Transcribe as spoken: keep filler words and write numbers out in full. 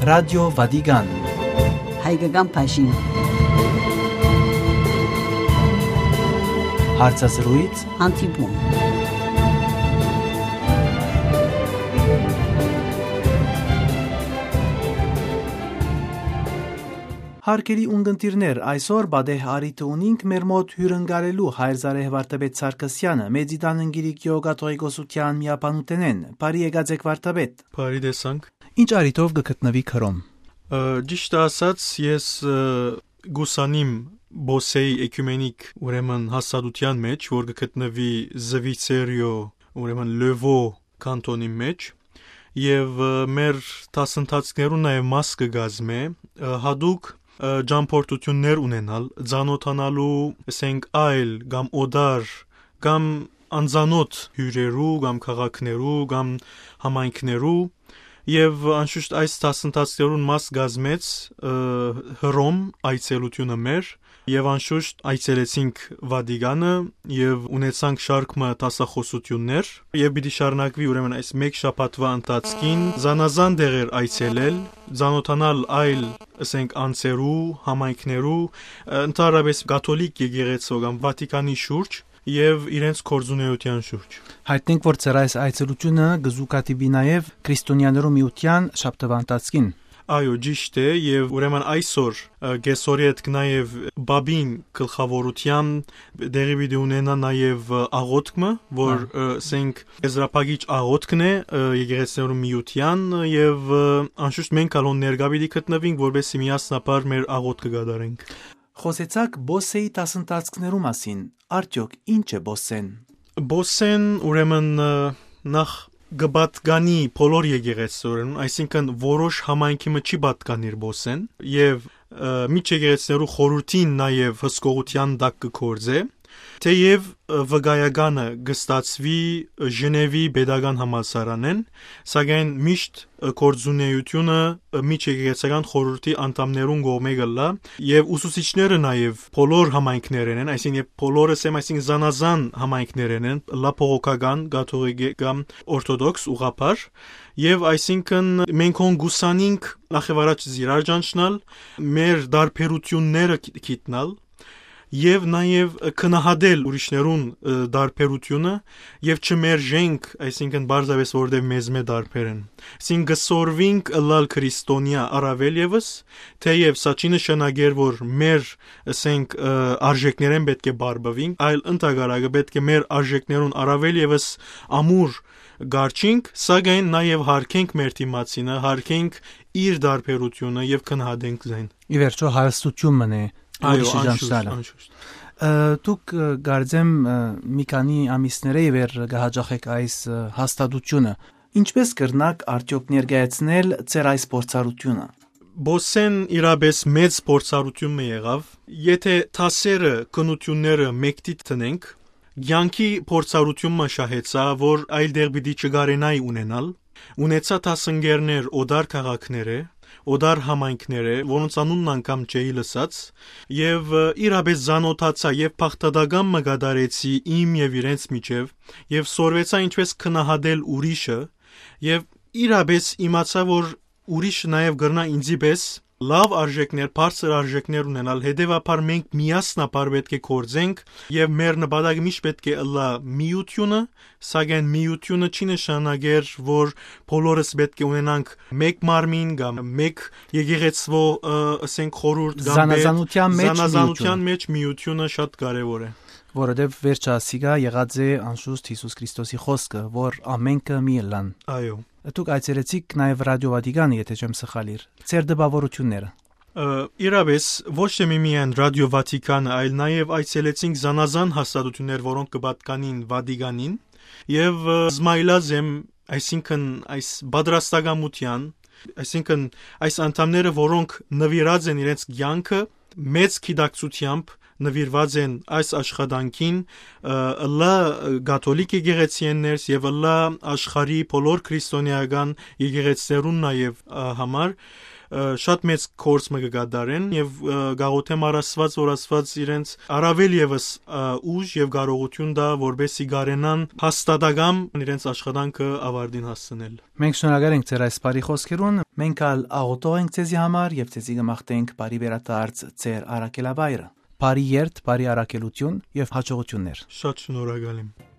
Ռադիո Վատիկան։ Հայկական բաժին։ Հարցազրույց։ Հանդիպում։ Հարգելի ունգընտիրներ, այսօր պատեհ առիթը ունինք մեր մօտ հիւրընկալելու հայր Զարեհ Վարդապետ Սարգսեանը, Մեծիտան Ընկիրիկիոյ կաթողիկոսութեան միաբանութենէն։ Բարի եկած էք, Վարդապետ։ Բարի տեսանք։ Ինչ առիթով կը գտնուիք Հռոմ։ Ը, ճիշդը ասած, ես, ը, կ'ուսանիմ Պոսեի էկումենիկ, ուրեմն, հաստատութեան մէջ, որ կը գտնուի Զուիցերիոյ, ուրեմն, Լեւո կանտոնի մէջ, եւ, ը, մեր դասընթացքներուն նաեւ մաս կը կազմէ, ը, յատուկ, ը, ճամփորդութիւններ ունենալ, ծանօթանալու, ասենք, այլ կամ օտար, կամ անծանօթ հիւրերու, կամ քաղաքներու, կամ համայնքներու, եւ անշուշտ այս դասընթացքներուն մաս կազմեց, ը, Հռոմ այցելութիւնը մեր, եւ անշուշտ այցելեցինք Վատիկանը եւ ունեցանք շարք մը դասախօսութիւններ, եւ պիտի շարունակուի, ուրեմն, այս մէկ շաբաթուայ ընթացքին զանազան տեղեր այցելել, ծանօթանալ այլ, ասենք, անձերու, համայնքներու, ը, ընդհանրապէս կաթոլիկ եկեղեցւոյ կամ Վատիկանի շուրջ եւ իրենց գործունեութեան շուրջ։ Յայտնենք, որ ձեր այս այցելութիւնը կը զուգադիպի նաեւ Քրիստոնեաներու միութեան շաբթուայ ընթացքին։ Այո, ճիշդ է, եւ, ուրեմն, այսօր, ը, կեսօրի հետ նաեւ Պապին գլխաւորութեան տեղի պիտի ունենայ նաեւ, ը, աղօթք մը, որ, Հա։ ը, ասենք, եզրափակիչ աղօթքն է, ը, եկեղեցիներու միութեան, ը, եւ, ը, անշուշտ մենք ալ հոն ներկայ պիտի գտնուինք, որպեսզի միասնաբար մեր աղօթքը կատարենք։ Խօսեցաք Պոսեի դասընթացքներու մասին, արդեօք ի՞նչ է Պոսեն։ Պոսեն, ուրեմն, ը, նախ կը պատկանի բոլոր եկեղեցիներուն, այսինքն որոշ համայնքի մը չի պատկանիր Պոսեն, եւ, ը, միջ եկեղեցիներու խորհուրդին նաեւ հսկողութեան տակ կը գործէ, թէեւ, ը, վկայականը կը ստացուի Ժնեւի պետական համալսարանէն, սակայն միշտ, ը, գործունեութիւնը, ը, միջ եկեղեցական խորհուրդի անդամներուն կողմէ կ'ըլլայ, եւ ուսուցիչները նաեւ բոլոր համայնքներէն են, այսինքն, երբ բոլորս եմ, այսինքն, զանազան համայնքներէն են, լա բողոքական, կաթողիկե կամ օրթոդոքս ուղղափառ, եւ, այսինքն, մենք հոն կ'ուսանինք նախ եւ առաջ զիրար ճանչնալ, մեր տարբերութիւնները գի-, գիտնալ, եւ նաեւ գնահատել ուրիշներուն, ը, տարբերութիւնը եւ չմերժենք, այսինքն պարզապէս որովհետեւ մեզմէ տարբեր են։ Այսինքն կը սորվինք ըլլալ քրիստոնեայ առավել եւս, թէեւ սա չի նշանակեր, որ մեր, ասենք, ը, արժեքներէն պէտք է բարբուինք, այլ ընդհակառակը պէտք է մեր արժեքներուն առավել եւս ամուր կառչինք, սակայն նաեւ յարգենք մեր դիմացինը, յարգենք իր տարբերութիւնը եւ գնահատենք զայն։ Ի վերջոյ հարստութիւն մըն է Այո, ուրիշի անշուշտ, ճանչնալը։ անշուշտ։ Ը, դուք, ը, կարծեմ, ը, մի քանի ամիսներէ ի վեր կը յաճախէք այս, ը, հաստատութիւնը։ Ինչպէս կրնաք արդեօք ներկայացնել ձեր այս փորձառութիւնը։ Պոսեն իրապէս մեծ փորձառութիւն մը եղաւ։ Եթէ դասերը, քննութիւնները մէկդի տնենք, կեանքի փորձառութիւն մը շահեցայ, որ այլ տեղ պիտի չկարենայ ունենալ, ունեցայ դասընկերներ օտար քաղաքներէ, օտար համայնքներէ, որոնց անունն անգամ չէի լսած, եւ, ը, իրապէս ծանօթացայ եւ բաղդատական մը կատարեցի իմ եւ իրենց միջեւ, եւ սորվեցայ ինչպէս գնահատել ուրիշը, եւ իրապէս իմացայ, որ ուրիշը նաեւ կրնայ ինծի պէս լաւ արժեքներ, բարձր արժեքներ ունենալ, հետեւաբար մենք միասնաբար պէտք է գործենք եւ մեր նպատակը միշտ պէտք է ըլլայ միութիւնը, սակայն միութիւնը չի նշանակեր, որ բոլորս պէտք է ունենանք մէկ մարմին կամ մէկ եկեղեցւոյ, ը, ասենք, խորհուրդ կամ պետ, Զանազանութեան մէջ զանազանութեան միութիւնը։ Մէջ միութիւնը շատ կարեւոր է։ Որովհետեւ վերջը ասիկա եղած է անշուշտ Յիսուս Քրիստոսի խօսքը, որ ամենքը մի ըլլան։ Այո։ Դուք այցելեցիք նաեւ Ռադիո Վատիկանը, եթէ չեմ սխալիր։ Ձեր տպաւորութիւնները։ Ը, իրապէս, ոչ թե միմիայն Ռադիո Վատիկանը, այլ նաեւ այցելեցինք զանազան հաստատութիւններ, որոնք կը պատկանին Վատիկանին, եւ, ը, զմայլած եմ, այսինքն, այս պատրաստակամութեան, այսինքն, այս անդամները, որոնք նուիրած են իրենց կեանքը, մեծ գիտակցութեամբ նուիրված են այս աշխատանքին, ը, ըլլայ կաթոլիկ եկեղեցիէն ներս եւ ըլլայ աշխարհի բոլոր քրիստոնեական եկեղեցիներուն նաեւ, ը, համար, շատ մեծ գործ մը կը կատարեն եւ կաղոթեմ առ Աստված, որ Աստված իրենց առավել եւս ուժ եւ կարողություն տայ, որպեսզի կարենան հաստատակամ իրենց աշխատանքը ավարտին հասցնել։ Մենք շնորհակալ ենք ձեր այս բարի խոսքերուն, մենք ալ աղոթող ենք ձեզի համար եւ ձեզի կը մաղթենք բարի վերադարձ ձեր առաքելավայրը։ Բարի երթ, բարի առաքելություն եւ հաջողություններ։ Շատ շնորհակալ եմ։